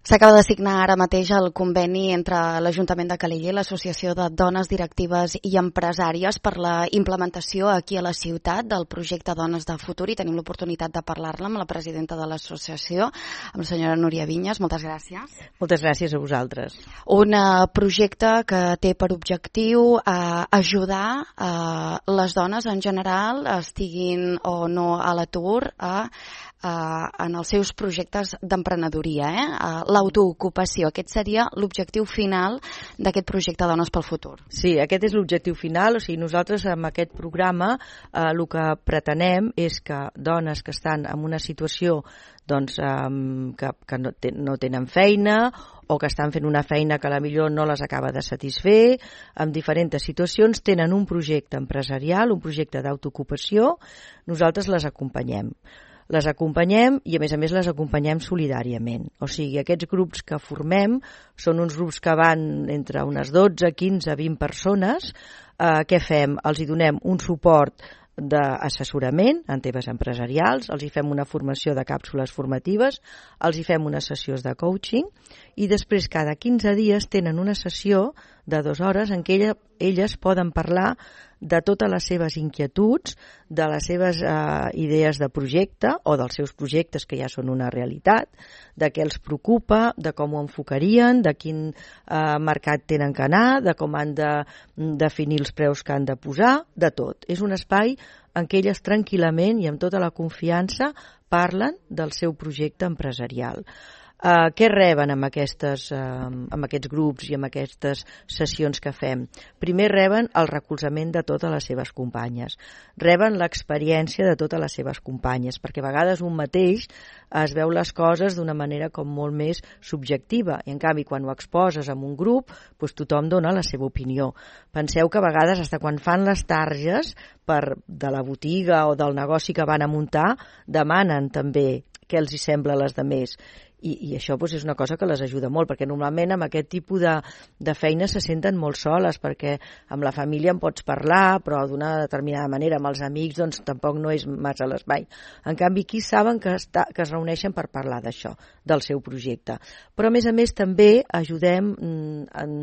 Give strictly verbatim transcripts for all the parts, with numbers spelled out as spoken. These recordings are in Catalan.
S'acaba de signar ara mateix el conveni entre l'Ajuntament de Calella i l'Associació de Dones Directives i Empresàries per la implementació aquí a la ciutat del projecte Dones de Futur, i tenim l'oportunitat de parlar-ne amb la presidenta de l'associació, amb la senyora Núria Vinyes. Moltes gràcies. Moltes gràcies a vosaltres. Un projecte que té per objectiu eh, ajudar eh, les dones en general, estiguin o no a l'atur, a Uh, en els seus projectes d'emprenedoria, eh? uh, l'autoocupació. Aquest seria l'objectiu final d'aquest projecte Dones pel Futur. Sí, aquest és l'objectiu final. O sigui, nosaltres amb aquest programa eh, el que pretenem és que dones que estan en una situació doncs, um, que, que no, ten, no tenen feina o que estan fent una feina que a la millor no les acaba de satisfer, en diferents situacions tenen un projecte empresarial, un projecte d'autoocupació, nosaltres les acompanyem. Les acompanyem i, a més a més, les acompanyem solidàriament. O sigui, aquests grups que formem són uns grups que van entre unes dotze, quinze, vint persones. Eh, què fem? Els hi donem un suport d'assessorament en temes empresarials, els hi fem una formació de càpsules formatives, els hi fem unes sessions de coaching i després cada quinze dies tenen una sessió de dues hores en què ella, elles poden parlar de totes les seves inquietuds, de les seves eh, idees de projecte o dels seus projectes que ja són una realitat, de què els preocupa, de com ho enfocarien, de quin eh, mercat tenen que anar, de com han de definir els preus que han de posar, de tot. És un espai en què elles tranquil·lament i amb tota la confiança parlen del seu projecte empresarial. Uh, què reben amb, aquestes, uh, amb aquests grups i amb aquestes sessions que fem? Primer reben el recolzament de totes les seves companyes, reben l'experiència de totes les seves companyes, perquè a vegades un mateix es veu les coses d'una manera com molt més subjectiva, i en canvi quan ho exposes en un grup doncs tothom dona la seva opinió. Penseu que a vegades fins quan fan les targes per, de la botiga o del negoci que van a muntar, demanen també què els hi sembla a les demés. I, i això doncs, és una cosa que les ajuda molt, perquè normalment amb aquest tipus de, de feina se senten molt soles, perquè amb la família en pots parlar, però d'una determinada manera, amb els amics doncs tampoc no és massa l'espai. En canvi, aquí saben que, està, que es reuneixen per parlar d'això, del seu projecte. Però a més a més també ajudem en,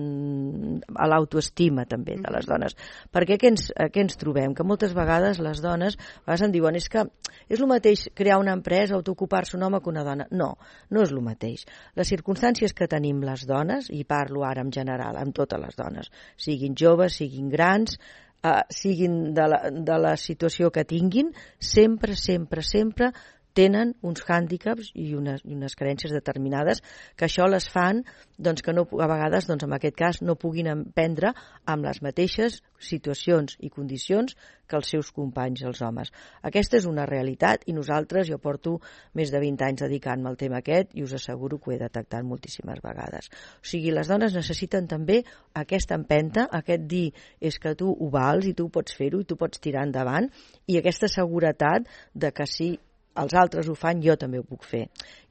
a l'autoestima també de les dones, perquè què ens, què ens trobem? Que moltes vegades les dones a vegades em diuen és que és el mateix crear una empresa, autoocupar-se un home que una dona. No, no és el mateix. Les circumstàncies que tenim les dones, i parlo ara en general, amb totes les dones, siguin joves, siguin grans, eh, siguin de la, de la situació que tinguin, sempre, sempre, sempre tenen uns hàndicaps i unes, i unes carències determinades que això les fan doncs, que no, a vegades, doncs, en aquest cas, no puguin emprendre amb les mateixes situacions i condicions que els seus companys, els homes. Aquesta és una realitat i nosaltres, jo porto més de vint anys dedicant-me al tema aquest i us asseguro que ho he detectat moltíssimes vegades. O sigui, les dones necessiten també aquesta empenta, aquest dir és que tu ho vals i tu pots fer-ho i tu pots tirar endavant, i aquesta seguretat de que sí, els altres ho fan, jo també ho puc fer.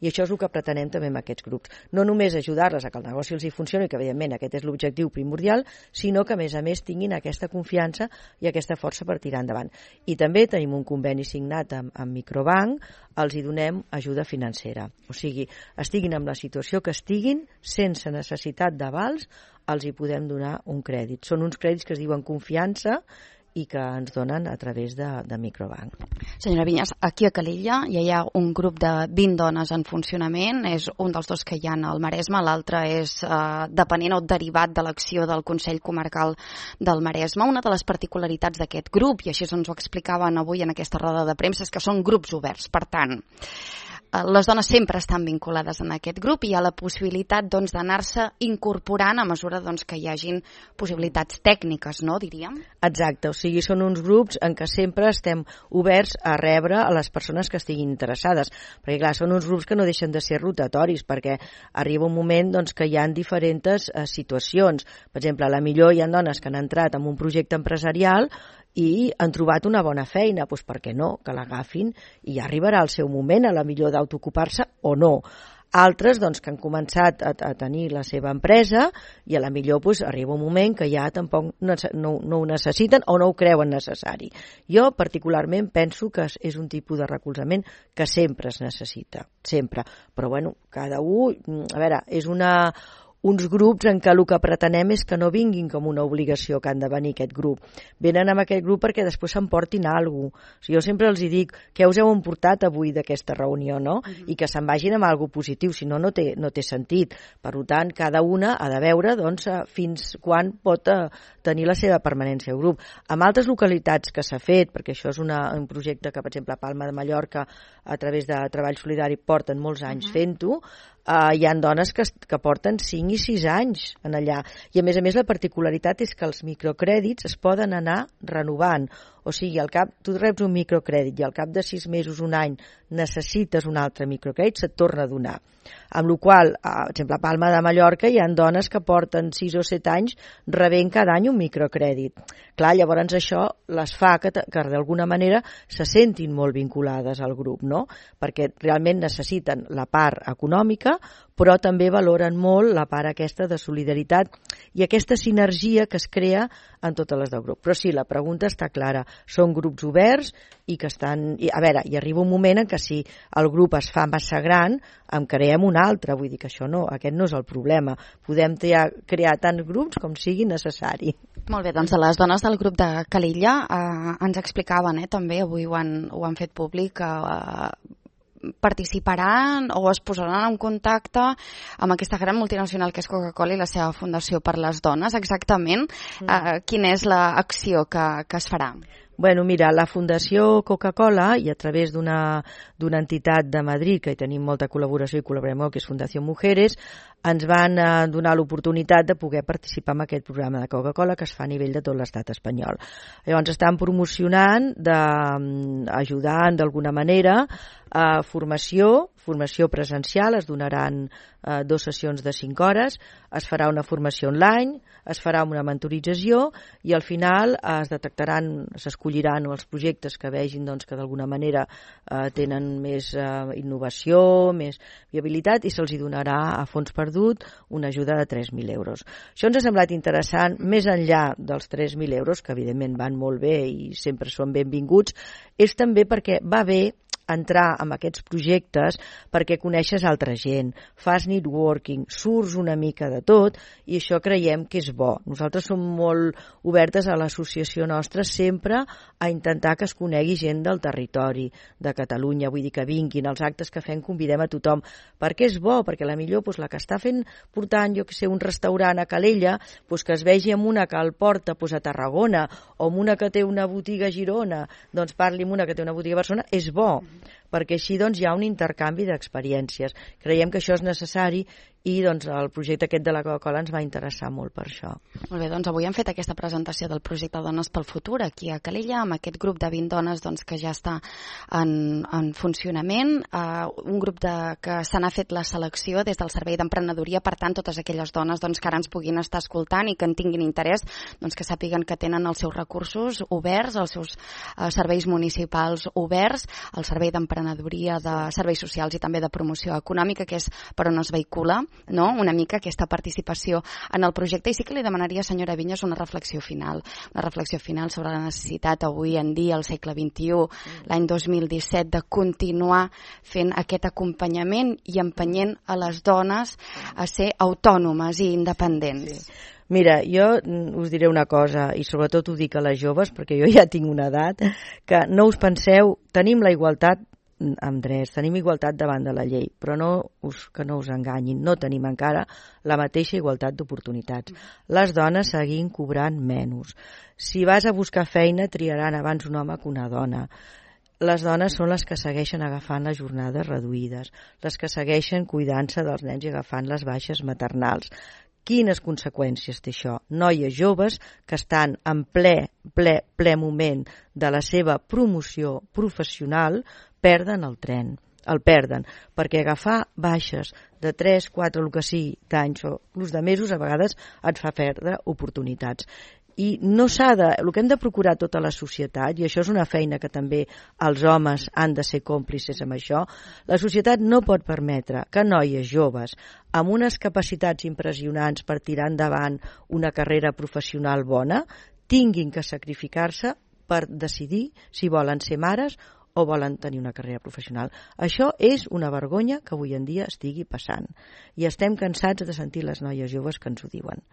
I això és el que pretenem també amb aquests grups. No només ajudar-les a que el negoci els hi funcioni, que evidentment aquest és l'objectiu primordial, sinó que a més a més tinguin aquesta confiança i aquesta força per tirar endavant. I també tenim un conveni signat amb, amb Microbank, els hi donem ajuda financera. O sigui, estiguin en la situació que estiguin, sense necessitat d'avals, els hi podem donar un crèdit. Són uns crèdits que es diuen confiança i que ens donen a través de, de Microbank. Senyora Vinyes, aquí a Calella ja hi ha un grup de vint dones en funcionament, és un dels dos que hi ha al Maresme, l'altre és eh, depenent o derivat de l'acció del Consell Comarcal del Maresme. Una de les particularitats d'aquest grup, i així ens ho explicaven avui en aquesta roda de premsa, és que són grups oberts. Per tant, les dones sempre estan vinculades en aquest grup i hi ha la possibilitat doncs, d'anar-se incorporant a mesura doncs, que hi hagin possibilitats tècniques, no, diríem? Exacte, o sigui, són uns grups en què sempre estem oberts a rebre a les persones que estiguin interessades, perquè clar, són uns grups que no deixen de ser rotatoris, perquè arriba un moment doncs, que hi ha diferents eh, situacions. Per exemple, a la millor hi ha dones que han entrat en un projecte empresarial i han trobat una bona feina, doncs per què no? Que l'agafin i ja arribarà el seu moment, a la millor d'autoocupar-se o no. Altres doncs, que han començat a, a tenir la seva empresa i a la millor doncs, arriba un moment que ja tampoc no, no, no ho necessiten o no ho creuen necessari. Jo particularment penso que és un tipus de recolzament que sempre es necessita, sempre. Però bueno, cada un, a veure, és una... uns grups en què el que pretenem és que no vinguin com una obligació que han de venir aquest grup. Venen amb aquest grup perquè després s'emportin alguna cosa. O sigui, jo sempre els dic què us heu emportat avui d'aquesta reunió, no? Uh-huh. I que se'n vagin amb alguna cosa positiu, si no, no té, no té sentit. Per tant, cada una ha de veure doncs, fins quan pot tenir la seva permanència al grup. En altres localitats que s'ha fet, perquè això és una, un projecte que, per exemple, a Palma de Mallorca, a través de Treball Solidari, porten molts anys uh-huh. fent-ho, Uh, hi ha dones que, que porten cinc i sis anys en allà. I a més a més la particularitat és que els microcrèdits es poden anar renovant. O sigui, al cap, tu reps un microcrèdit i al cap de sis mesos, un any, necessites un altre microcrèdit, se't torna a donar. Amb la qual cosa, per exemple, a Palma de Mallorca hi ha dones que porten sis o set anys rebent cada any un microcrèdit. Clar, llavors això les fa que, que d'alguna manera se sentin molt vinculades al grup, no? Perquè realment necessiten la part econòmica, però també valoren molt la part aquesta de solidaritat i aquesta sinergia que es crea en totes les del grup. Però sí, la pregunta està clara. Són grups oberts i que estan... I, a veure, hi arriba un moment en què si el grup es fa massa gran, en creem un altre. Vull dir que això no, aquest no és el problema. Podem crear, crear tants grups com sigui necessari. Molt bé, doncs les dones del grup de Calella eh, ens explicaven, eh, també, avui ho han, ho han fet públic, eh, participaran o es posaran en contacte amb aquesta gran multinacional que és Coca-Cola i la seva Fundació per les Dones. Exactament, eh, quina és l'acció que, que es farà? Bueno, mira, la Fundació Coca-Cola, i a través d'una d'una entitat de Madrid, que hi tenim molta col·laboració i col·laborem molt, que és Fundació Mujeres, ens van eh, donar l'oportunitat de poder participar en aquest programa de Coca-Cola que es fa a nivell de tot l'estat espanyol. Llavors estan promocionant, de, ajudant d'alguna manera, a formació, formació presencial, es donaran eh, dues sessions de cinc hores, es farà una formació online, es farà una mentorització i al final es detectaran, s'escolliran els projectes que vegin doncs, que d'alguna manera eh, tenen més eh, innovació, més viabilitat i se'ls donarà a fons perdut una ajuda de tres mil euros. Això ens ha semblat interessant, més enllà dels tres mil euros, que evidentment van molt bé i sempre són benvinguts, és també perquè va bé entrar en aquests projectes perquè coneixes altra gent, fas networking, surts una mica de tot i això creiem que és bo. Nosaltres som molt obertes a l'associació nostra sempre a intentar que es conegui gent del territori de Catalunya, vull dir que vinguin, als actes que fem convidem a tothom, perquè és bo, perquè la millor doncs, la que està fent portant, jo que sé, un restaurant a Calella, doncs que es vegi amb una que el porta doncs, a Tarragona o amb una que té una botiga a Girona, doncs parli amb una que té una botiga a Barcelona, és bo, perquè així doncs, hi ha un intercanvi d'experiències. Creiem que això és necessari i doncs, el projecte aquest de la Coca-Cola ens va interessar molt per això. Molt bé, doncs avui hem fet aquesta presentació del projecte Dones pel Futur aquí a Calella, amb aquest grup de vint dones doncs, que ja està en, en funcionament, uh, un grup de, que se n'ha fet la selecció des del Servei d'Emprenedoria, per tant, totes aquelles dones doncs, que ara ens puguin estar escoltant i que en tinguin interès, doncs, que sàpiguen que tenen els seus recursos oberts, els seus uh, serveis municipals oberts, el Servei d'Emprenedoria, de serveis socials i també de promoció econòmica, que és per on es vehicula, no? Una mica aquesta participació en el projecte. I sí que li demanaria, senyora Vinyes, una reflexió final, una reflexió final sobre la necessitat avui en dia, al segle vint-i-u, l'any dos mil disset, de continuar fent aquest acompanyament i empenyent a les dones a ser autònomes i independents. Sí. Mira, jo us diré una cosa, i sobretot ho dic a les joves, perquè jo ja tinc una edat, que no us penseu, tenim la igualtat amb drets, tenim igualtat davant de la llei, però no us, que no us enganyin, no tenim encara la mateixa igualtat d'oportunitats. Les dones seguim cobrant menys. Si vas a buscar feina, triaran abans un home que una dona. Les dones són les que segueixen agafant les jornades reduïdes, les que segueixen cuidant-se dels nens i agafant les baixes maternals. Quines conseqüències té això? Noies joves que estan en ple, ple, ple moment de la seva promoció professional perden el tren, el perden, perquè agafar baixes de tres, quatre, el que sigui, d'anys o l'ús de mesos, a vegades et fa perdre oportunitats. I no s'ha de... El que hem de procurar tota la societat, i això és una feina que també els homes han de ser còmplices amb això, la societat no pot permetre que noies joves amb unes capacitats impressionants per tirar endavant una carrera professional bona tinguin que sacrificar-se per decidir si volen ser mares o volen tenir una carrera professional. Això és una vergonya que avui en dia estigui passant. I estem cansats de sentir les noies joves que ens ho diuen.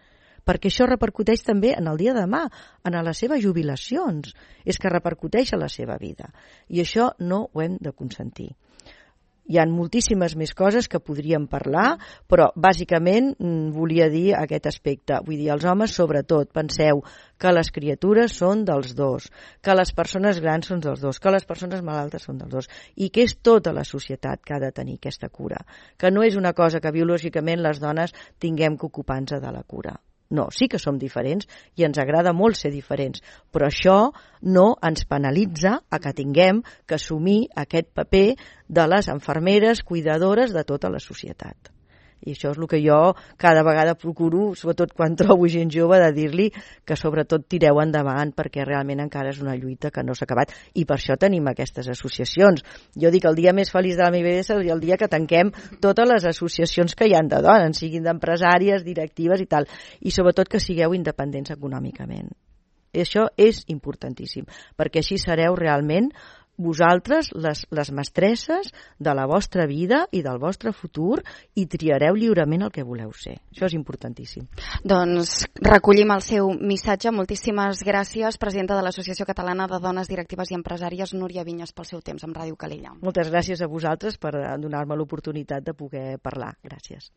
Perquè això repercuteix també en el dia de demà, en les seves jubilacions. És que repercuteix a la seva vida. I això no ho hem de consentir. Hi ha moltíssimes més coses que podríem parlar, però bàsicament volia dir aquest aspecte. Vull dir, els homes, sobretot, penseu que les criatures són dels dos, que les persones grans són dels dos, que les persones malaltes són dels dos, i que és tota la societat que ha de tenir aquesta cura. Que no és una cosa que biològicament les dones tinguem que ocupar-nos de la cura. No, sí que som diferents i ens agrada molt ser diferents, però això no ens penalitza a que tinguem que assumir aquest paper de les infermeres, cuidadores de tota la societat. I això és el que jo cada vegada procuro, sobretot quan trobo gent jove, de dir-li que sobretot tireu endavant perquè realment encara és una lluita que no s'ha acabat i per això tenim aquestes associacions. Jo dic que el dia més feliç de la meva vida seria el dia que tanquem totes les associacions que hi ha de dones, siguin d'empresàries, directives i tal, i sobretot que sigueu independents econòmicament. I això és importantíssim, perquè així sereu realment vosaltres les, les mestresses de la vostra vida i del vostre futur i triareu lliurement el que voleu ser. Això és importantíssim. Doncs recollim el seu missatge. Moltíssimes gràcies, presidenta de l'Associació Catalana de Dones Directives i Empresàries, Núria Vinyes, pel seu temps amb Ràdio Calella. Moltes gràcies a vosaltres per donar-me l'oportunitat de poder parlar. Gràcies.